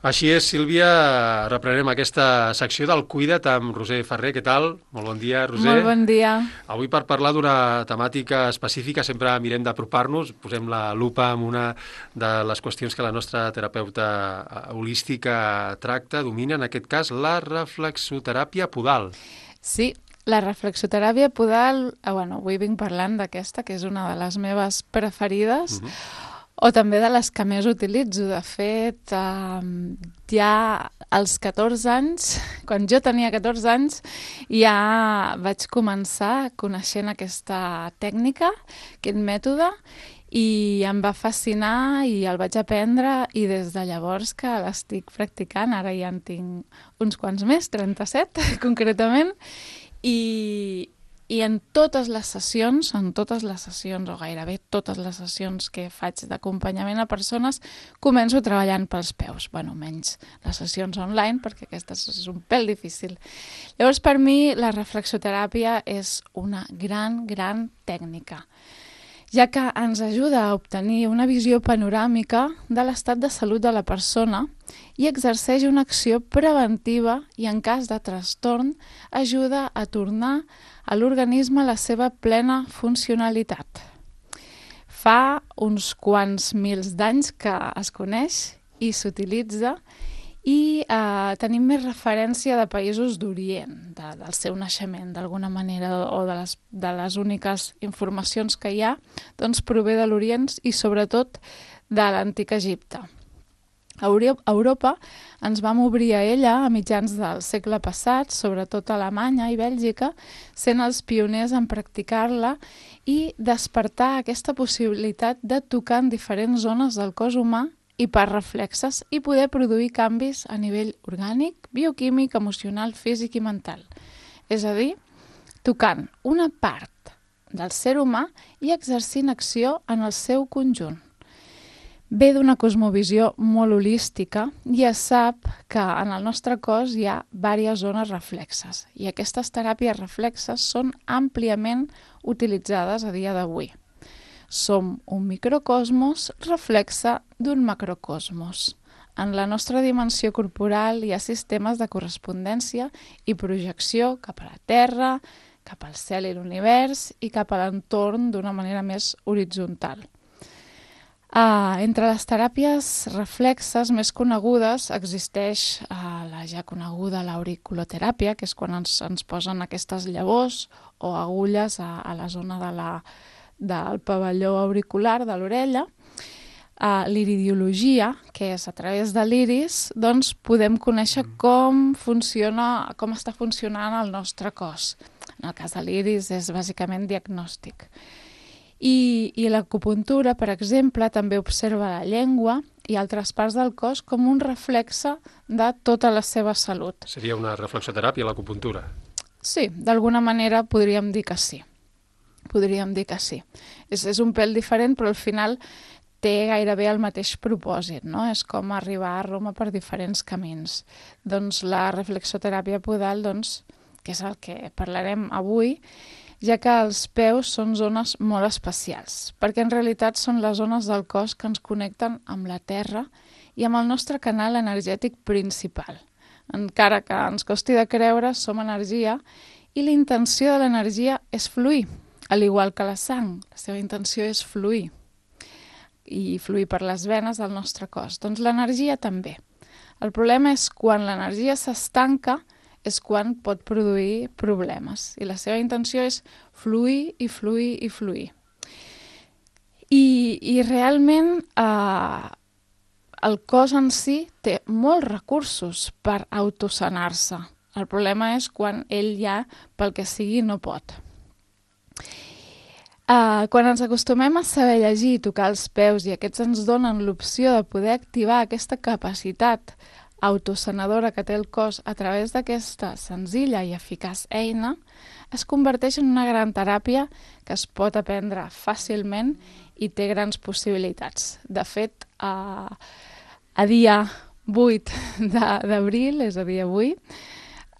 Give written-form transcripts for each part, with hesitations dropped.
Així és, Sílvia, reprenem aquesta secció del Cuida't amb Roser Ferrer. Què tal? Molt bon dia, Roser. Molt bon dia. Avui per parlar d'una temàtica específica sempre mirem d'apropar-nos, posem la lupa en una de les qüestions que la nostra terapeuta holística tracta, domina, en aquest cas, la reflexoteràpia podal. Sí, la reflexoteràpia podal, avui vinc parlant d'aquesta, que és una de les meves preferides, o també de les que més utilitzo. De fet, ja als 14 anys, quan jo tenia 14 anys, ja vaig començar coneixent aquesta tècnica, aquest mètode, i em va fascinar i el vaig aprendre i des de llavors que l'estic practicant, ara ja en tinc uns quants més, 37 concretament, i en totes les sessions, o gairebé totes les sessions que faig d'acompanyament a persones, començo treballant pels peus. Bueno, menys les sessions online, perquè aquestes és un pèl difícil. Llavors, per mi, la reflexoteràpia és una gran tècnica, ja que ens ajuda a obtenir una visió panoràmica de l'estat de salut de la persona i exerceix una acció preventiva i, en cas de trastorn, ajuda a tornar a l'organisme la seva plena funcionalitat. Fa uns quants mils d'anys que es coneix i s'utilitza i tenim més referència de països d'Orient, del seu naixement, d'alguna manera, o de les úniques informacions que hi ha, doncs prové de l'Orient i sobretot de l'antic Egipte. A Europa ens vam obrir a ella a mitjans del segle passat, sobretot a Alemanya i Bèlgica, sent els pioners en practicar-la i despertar aquesta possibilitat de tocar en diferents zones del cos humà i per reflexes i poder produir canvis a nivell orgànic, bioquímic, emocional, físic i mental. És a dir, tocant una part del ser humà i exercint acció en el seu conjunt. Ve d'una cosmovisió molt holística i es sap que en el nostre cos hi ha diverses zones reflexes i aquestes teràpies reflexes són àmpliament utilitzades a dia d'avui. Som un microcosmos reflexe d'un macrocosmos. En la nostra dimensió corporal hi ha sistemes de correspondència i projecció cap a la Terra, cap al cel i l'univers i cap a l'entorn d'una manera més horitzontal. Entre les teràpies reflexes més conegudes existeix la ja coneguda l'auriculoteràpia, que és quan ens posen aquestes llavors o agulles a la zona del pavelló auricular de l'orella. L'iridiologia, que és a través de l'iris, doncs podem conèixer com està funcionant el nostre cos. En el cas de l'iris és bàsicament diagnòstic. I l'acupuntura, per exemple, també observa la llengua i altres parts del cos com un reflexe de tota la seva salut. Seria una reflexoteràpia, l'acupuntura? Sí, d'alguna manera podríem dir que sí. És un pèl diferent, però al final té gairebé el mateix propòsit, no? És com arribar a Roma per diferents camins. Doncs la reflexoteràpia podal, que és el que parlarem avui, ja que els peus són zones molt especials, perquè en realitat són les zones del cos que ens connecten amb la terra i amb el nostre canal energètic principal. Encara que ens costi de creure, som energia i la intenció de l'energia és fluir, al igual que la sang. La seva intenció és fluir i fluir per les venes del nostre cos. Doncs l'energia també. El problema és quan l'energia s'estanca, és quan pot produir problemes. I la seva intenció és fluir i fluir i fluir. I realment el cos en si té molts recursos per autosanar-se. El problema és quan ell ja, pel que sigui, no pot. Quan ens acostumem a saber llegir i tocar els peus i aquests ens donen l'opció de poder activar aquesta capacitat autosanadora que té el cos a través d'aquesta senzilla i eficaç eina, es converteix en una gran teràpia que es pot aprendre fàcilment i té grans possibilitats. De fet, a dia 8 d'abril, és a dir, avui,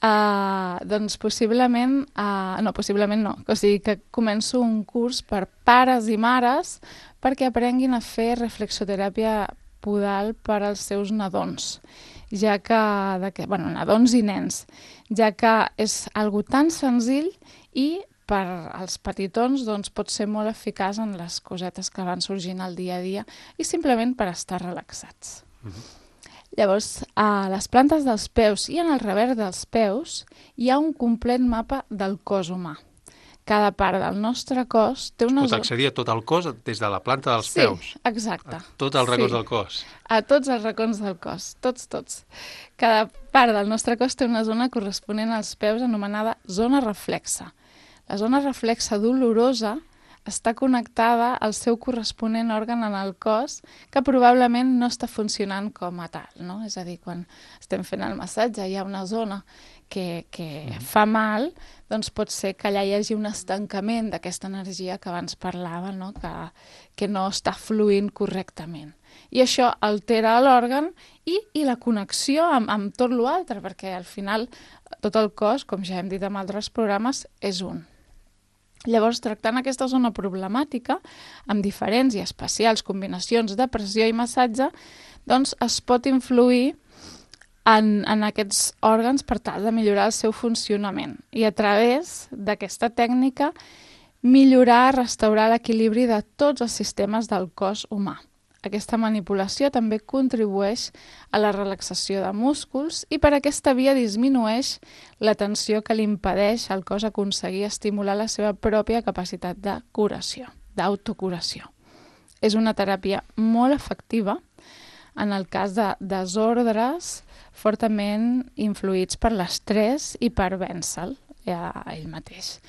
o sigui que començo un curs per pares i mares perquè aprenguin a fer reflexoteràpia podal per als seus nadons, ja que, nadons i nens, ja que és algo tan senzill i per als petitons doncs, pot ser molt eficaç en les cosetes que van sorgint al dia a dia i simplement per estar relaxats. Llavors, a les plantes dels peus i en el revers dels peus hi ha un complet mapa del cos humà. Cada part del nostre cos té una... Pot accedir a tot el cos des de la planta dels peus. Sí, exacte. A tots els racons del cos. A tots els racons del cos, tots. Cada part del nostre cos té una zona corresponent als peus anomenada zona reflexa. La zona reflexa dolorosa està connectada al seu corresponent òrgan en el cos que probablement no està funcionant com a tal, no? És a dir, quan estem fent el massatge hi ha una zona que fa mal, doncs pot ser que allà hi hagi un estancament d'aquesta energia que abans parlava, no? Que no està fluint correctament. I això altera l'òrgan i la connexió amb tot l'altre, perquè al final tot el cos, com ja hem dit en altres programes, és un. Llavors, tractant aquesta zona problemàtica, amb diferents i especials combinacions de pressió i massatge, doncs es pot influir en aquests òrgans per tal de millorar el seu funcionament i a través d'aquesta tècnica millorar, restaurar l'equilibri de tots els sistemes del cos humà. Aquesta manipulació també contribueix a la relaxació de músculs i per aquesta via disminueix la tensió que li impedeix al cos aconseguir estimular la seva pròpia capacitat de curació, d'autocuració. És una teràpia molt efectiva en el cas de desordres fortament influïts per l'estrès i per vèncer-lo ell mateix.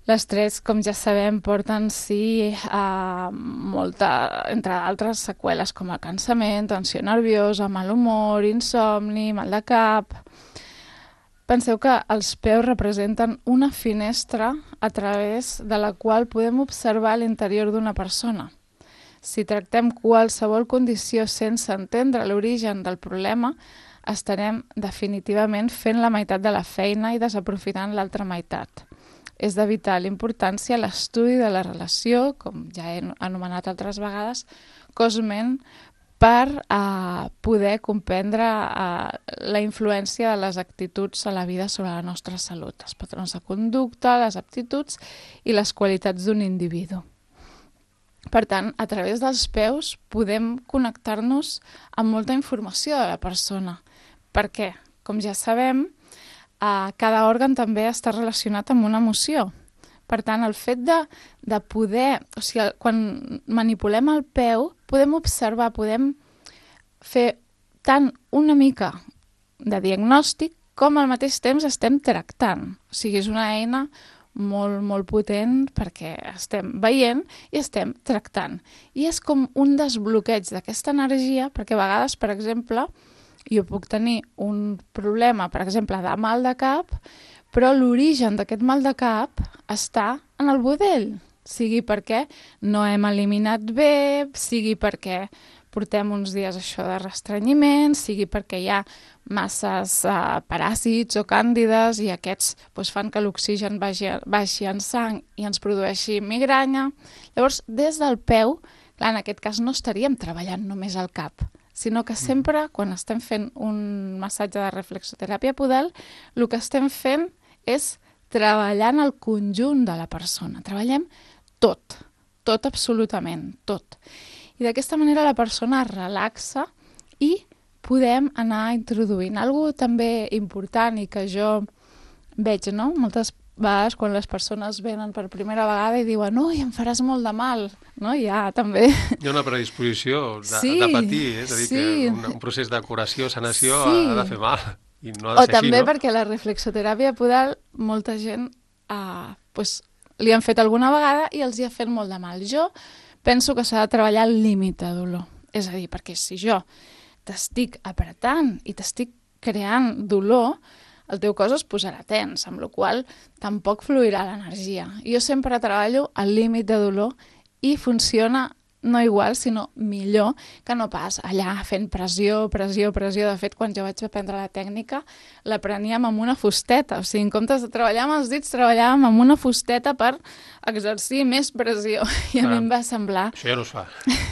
L'estrès, com ja sabem, porta en si entre d'altres seqüeles com el cansament, tensió nerviosa, mal humor, insomni, mal de cap. Penseu que els peus representen una finestra a través de la qual podem observar l'interior d'una persona. Si tractem qualsevol condició sense entendre l'origen del problema, estarem definitivament fent la meitat de la feina i desaprofitant l'altra meitat. És de vital importància l'estudi de la relació, com ja he anomenat altres vegades, cos-ment, per poder comprendre la influència de les actituds a la vida sobre la nostra salut, els patrons de conducta, les aptituds i les qualitats d'un individu. Per tant, a través dels peus podem connectar-nos amb molta informació de la persona, perquè, com ja sabem, cada òrgan també està relacionat amb una emoció. Per tant, el fet de poder... O sigui, quan manipulem el peu, podem observar, podem fer tant una mica de diagnòstic com al mateix temps estem tractant. O sigui, és una eina molt, molt potent perquè estem veient i estem tractant. I és com un desbloqueig d'aquesta energia, perquè a vegades, per exemple, jo puc tenir un problema, per exemple, de mal de cap, però l'origen d'aquest mal de cap està en el budell. Sigui perquè no hem eliminat bé, sigui perquè portem uns dies això de restrenyiment, sigui perquè hi ha masses paràsits o càndides i aquests fan que l'oxigen baixi en sang i ens produeixi migranya. Llavors, des del peu, clar, en aquest cas no estaríem treballant només al cap, sinó que sempre, quan estem fent un massatge de reflexoteràpia podal, el que estem fent és treballar en el conjunt de la persona. Treballem tot absolutament, tot. I d'aquesta manera la persona es relaxa i podem anar introduint. Algo també important i que jo veig, no? Moltes vegades quan les persones venen per primera vegada i diuen «Ui, em faràs molt de mal», no? Ja també... Hi ha una predisposició de patir, és a dir, que un procés de curació, sanació ha de fer mal i no ha de ser així, no? O també perquè la reflexoteràpia podal, molta gent li han fet alguna vegada i els hi ha fet molt de mal. Jo penso que s'ha de treballar al límit de dolor. És a dir, perquè si jo t'estic apretant i t'estic creant dolor, el teu cos es posarà tens, amb la qual cosa tampoc fluirà l'energia. Jo sempre treballo al límit de dolor i funciona no igual, sinó millor, que no pas allà fent pressió. De fet, quan jo vaig aprendre la tècnica, l'apreníem amb una fusteta. O sigui, en comptes de treballar amb els dits, treballàvem amb una fusteta per exercir més pressió. I a mi em va semblar... Això ja no es fa.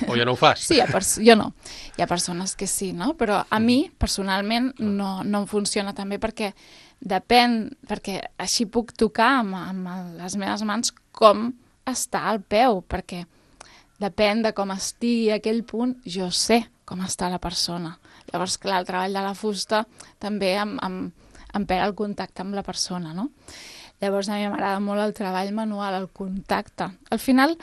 O ja no ho fas. Sí, jo no. Hi ha persones que sí, no? Però a mi, personalment, no em funciona tan bé perquè depèn, perquè així puc tocar amb les meves mans com està el peu, perquè depèn de com estigui aquell punt, jo sé com està la persona. Llavors, clar, el treball de la fusta també em pega el contacte amb la persona, no? Llavors, a mi m'agrada molt el treball manual, el contacte. Al final,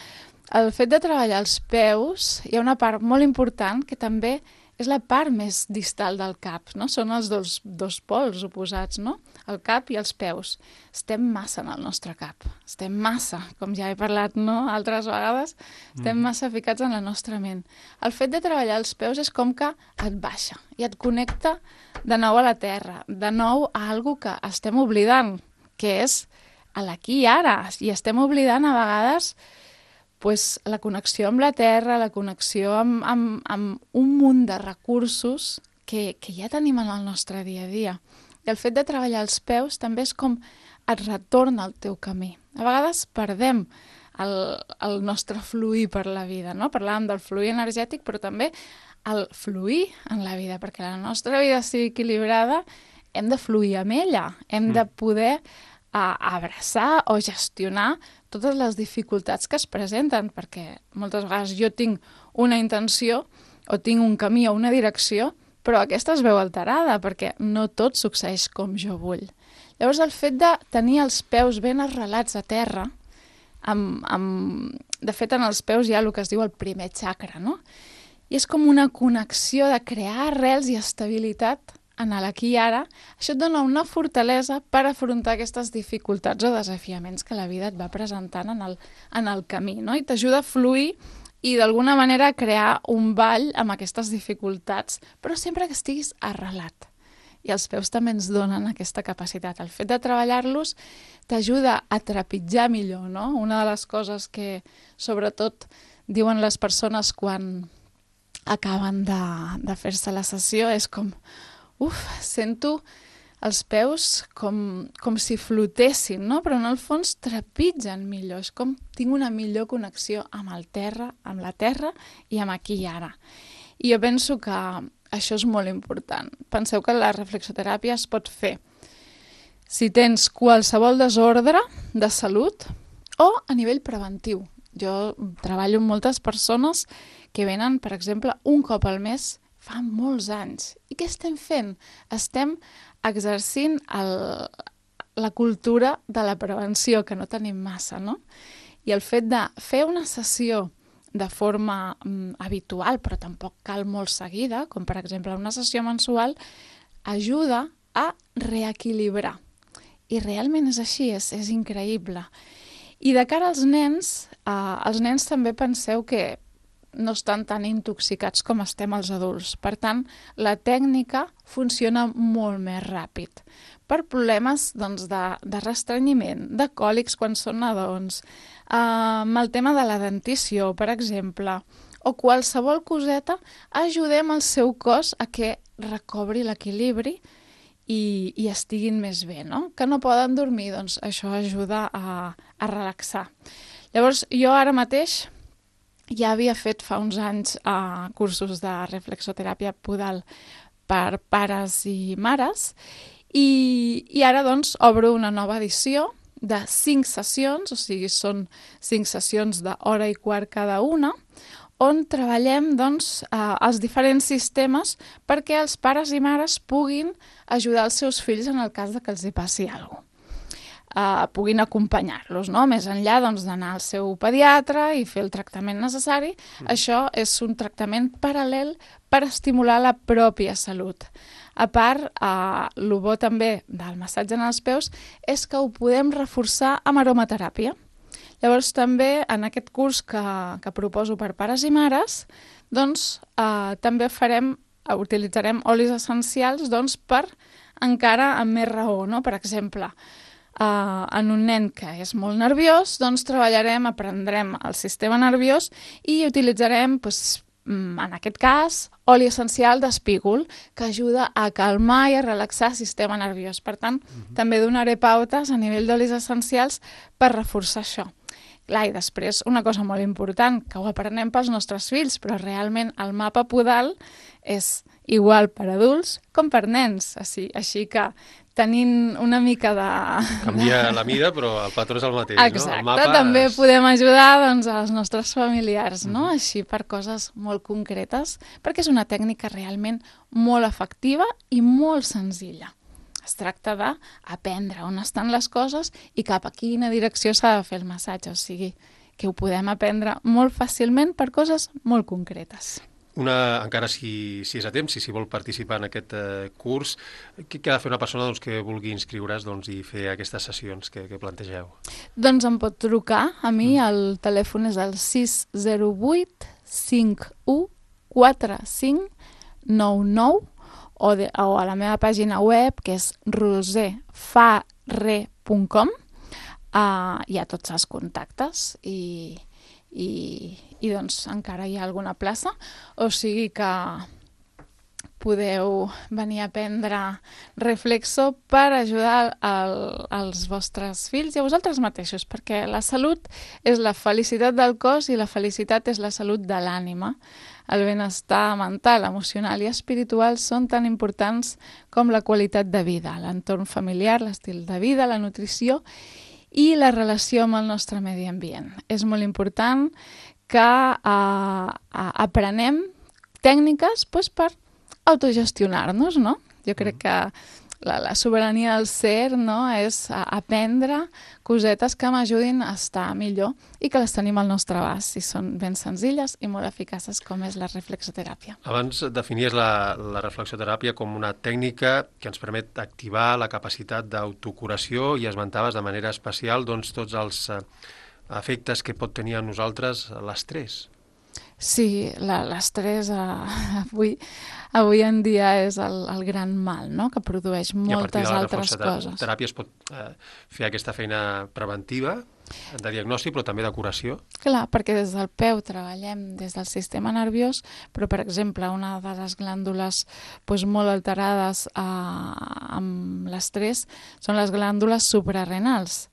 el fet de treballar els peus, hi ha una part molt important que també és la part més distal del cap, no? Són els dos pols oposats, no? El cap i els peus. Estem massa en el nostre cap. Estem massa, com ja he parlat, no? Altres vegades, estem massa ficats en la nostra ment. El fet de treballar els peus és com que et baixa i et connecta de nou a la terra, de nou a algo que estem oblidant, que és a l'aquí i ara. I estem oblidant a vegades pues, la connexió amb la terra, la connexió amb un munt de recursos que ja tenim en el nostre dia a dia. I el fet de treballar els peus també és com et retorna al teu camí. A vegades perdem el nostre fluir per la vida, no? Parlàvem del fluir energètic, però també el fluir en la vida, perquè la nostra vida sigui equilibrada, hem de fluir amb ella, hem de poder abraçar o gestionar totes les dificultats que es presenten, perquè moltes vegades jo tinc una intenció o tinc un camí o una direcció, però aquesta es veu alterada perquè no tot succeeix com jo vull. Llavors el fet de tenir els peus ben arrelats a terra, de fet en els peus hi ha el que es diu el primer chakra, no? I és com una connexió de crear arrels i estabilitat en l'aquí i ara. Això et dona una fortalesa per afrontar aquestes dificultats o desafiaments que la vida et va presentant en el camí, no? I t'ajuda a fluir i d'alguna manera a crear un ball amb aquestes dificultats, però sempre que estiguis arrelat. I els peus també ens donen aquesta capacitat. El fet de treballar-los t'ajuda a trepitjar millor, no? Una de les coses que sobretot diuen les persones quan acaben de fer-se la sessió és com sento els peus com si flotessin, no? Però en el fons trepitgen millor. És com tinc una millor connexió amb la terra i amb aquí i ara. I jo penso que això és molt important. Penseu que la reflexoteràpia es pot fer si tens qualsevol desordre de salut o a nivell preventiu. Jo treballo amb moltes persones que venen, per exemple, un cop al mes fa molts anys. I què estem fent? Estem exercint la cultura de la prevenció, que no tenim massa, no? I el fet de fer una sessió de forma habitual, però tampoc cal molt seguida, com per exemple una sessió mensual, ajuda a reequilibrar. I realment és així, és increïble. I de cara als nens també penseu que no estan tan intoxicats com estem els adults. Per tant, la tècnica funciona molt més ràpid. Per problemes de restrenyiment, de còlics quan són nadons, amb el tema de la dentició, per exemple, o qualsevol coseta, ajudem el seu cos a que recobri l'equilibri i estiguin més bé, no? Que no poden dormir, doncs això ajuda a relaxar. Llavors, jo ara mateix ja havia fet fa uns anys cursos de reflexoteràpia podal per pares i mares i ara doncs obro una nova edició de 5 sessions, o sigui són 5 sessions d'hora i quart cada una, on treballem doncs, els diferents sistemes perquè els pares i mares puguin ajudar els seus fills en el cas de que els hi passi alguna cosa. Puguin acompanyar-los, no? Més enllà doncs, d'anar al seu pediatre i fer el tractament necessari. Això és un tractament paral·lel per estimular la pròpia salut. A part, el bo també del massatge en els peus és que ho podem reforçar amb aromateràpia. Llavors també en aquest curs que proposo per pares i mares, doncs també utilitzarem olis essencials doncs, per encara amb més raó, no? Per exemple, en un nen que és molt nerviós, doncs aprendrem el sistema nerviós i utilitzarem, doncs, en aquest cas, oli essencial d'espígol, que ajuda a calmar i a relaxar el sistema nerviós. Per tant, també donaré pautes a nivell d'olis essencials per reforçar això. Clar, i després, una cosa molt important, que ho aprenem pels nostres fills, però realment el mapa podal és igual per adults com per nens. Així que tenint una mica de... Canvia la mida, però el patró és el mateix, exacte, no? també podem ajudar doncs, als nostres familiars, no? Així per coses molt concretes, perquè és una tècnica realment molt efectiva i molt senzilla. Es tracta d'aprendre on estan les coses i cap a quina direcció s'ha de fer el massatge, o sigui, que ho podem aprendre molt fàcilment per coses molt concretes. Encara si és a temps, si vol participar en aquest curs, què ha de fer una persona que vulgui inscriure's i fer aquestes sessions que plantegeu? Doncs em pot trucar a mi, el telèfon és el 608 51 45 99 o a la meva pàgina web, que és roserfarre.com. Hi ha tots els contactes i doncs encara hi ha alguna plaça, o sigui que podeu venir a aprendre Reflexo per ajudar els vostres fills i a vosaltres mateixos, perquè la salut és la felicitat del cos i la felicitat és la salut de l'ànima. El benestar mental, emocional i espiritual són tan importants com la qualitat de vida, l'entorn familiar, l'estil de vida, la nutrició i la relació amb el nostre medi ambient. És molt important que aprenem tècniques per autogestionar-nos, no? Jo crec que la sobirania del ser, no, és aprendre cosetes que m'ajudin a estar millor i que les tenim al nostre abast i són ben senzilles i molt eficaces, com és la reflexoteràpia. Abans definies la reflexoteràpia com una tècnica que ens permet activar la capacitat d'autocuració i esmentaves de manera especial tots els efectes que pot tenir a nosaltres l'estrès. Sí, l'estrès avui en dia és el gran mal, no?, que produeix moltes altres coses. I a partir de la reflexoteràpia es pot fer aquesta feina preventiva, de diagnòstic, però també de curació? Clar, perquè des del peu treballem des del sistema nerviós, però, per exemple, una de les glàndules molt alterades amb l'estrès són les glàndules suprarrenals,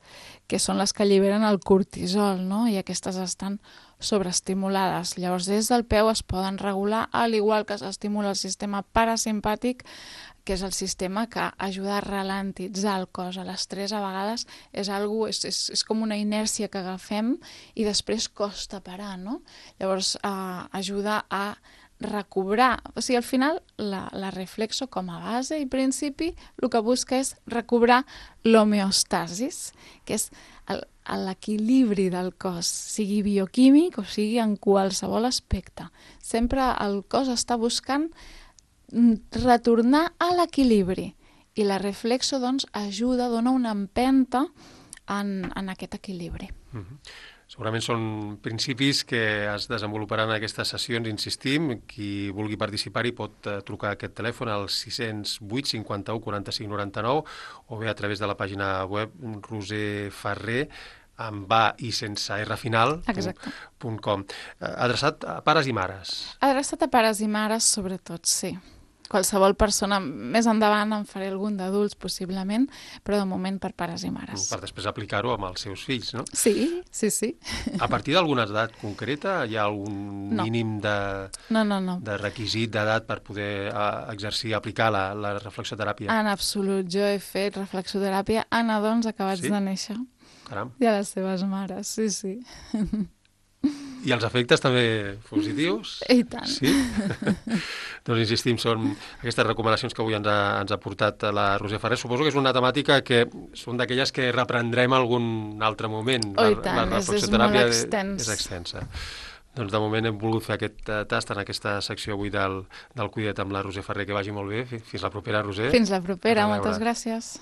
que són les que alliberen el cortisol, no?, i aquestes estan sobreestimulades. Llavors, des del peu es poden regular, al igual que s'estimula el sistema parasimpàtic, que és el sistema que ajuda a ralentitzar el cos. L'estrès a vegades és com una inèrcia que agafem i després costa parar, no? Llavors, ajuda a recobrar. O sigui, al final, la reflexo com a base i principi el que busca és recobrar l'homeostasis, que és l'equilibri del cos, sigui bioquímic o sigui en qualsevol aspecte. Sempre el cos està buscant retornar a l'equilibri i la reflexo ajuda, dona una empenta en aquest equilibri. Segurament són principis que es desenvoluparan en aquestes sessions, insistim. Qui vulgui participar-hi pot trucar a aquest telèfon al 608 51 45 99 o bé a través de la pàgina web roserfarre amb A i sense R final, .com. Adreçat a pares i mares. Adreçat a pares i mares, sobretot, sí. Qualsevol persona, més endavant en faré algun d'adults, possiblement, però de moment per pares i mares. Per després aplicar-ho amb els seus fills, no? Sí, sí, sí. A partir d'alguna edat concreta hi ha algun mínim de requisit d'edat per poder exercir, aplicar la reflexoteràpia? En absolut. Jo he fet reflexoteràpia a nadons acabats de néixer. Caram. I a les seves mares, sí, sí. I els efectes també positius? I tant. Sí? Doncs insistim, són aquestes recomanacions que avui ens ha portat la Roser Farré. Suposo que és una temàtica que són d'aquelles que reprendrem algun altre moment. Oh, i tant, és molt extens. És extensa. Doncs de moment hem volgut fer aquest tast en aquesta secció avui del Cuida't amb la Roser Farré. Que vagi molt bé. Fins la propera, Roser. Fins la propera, moltes gràcies.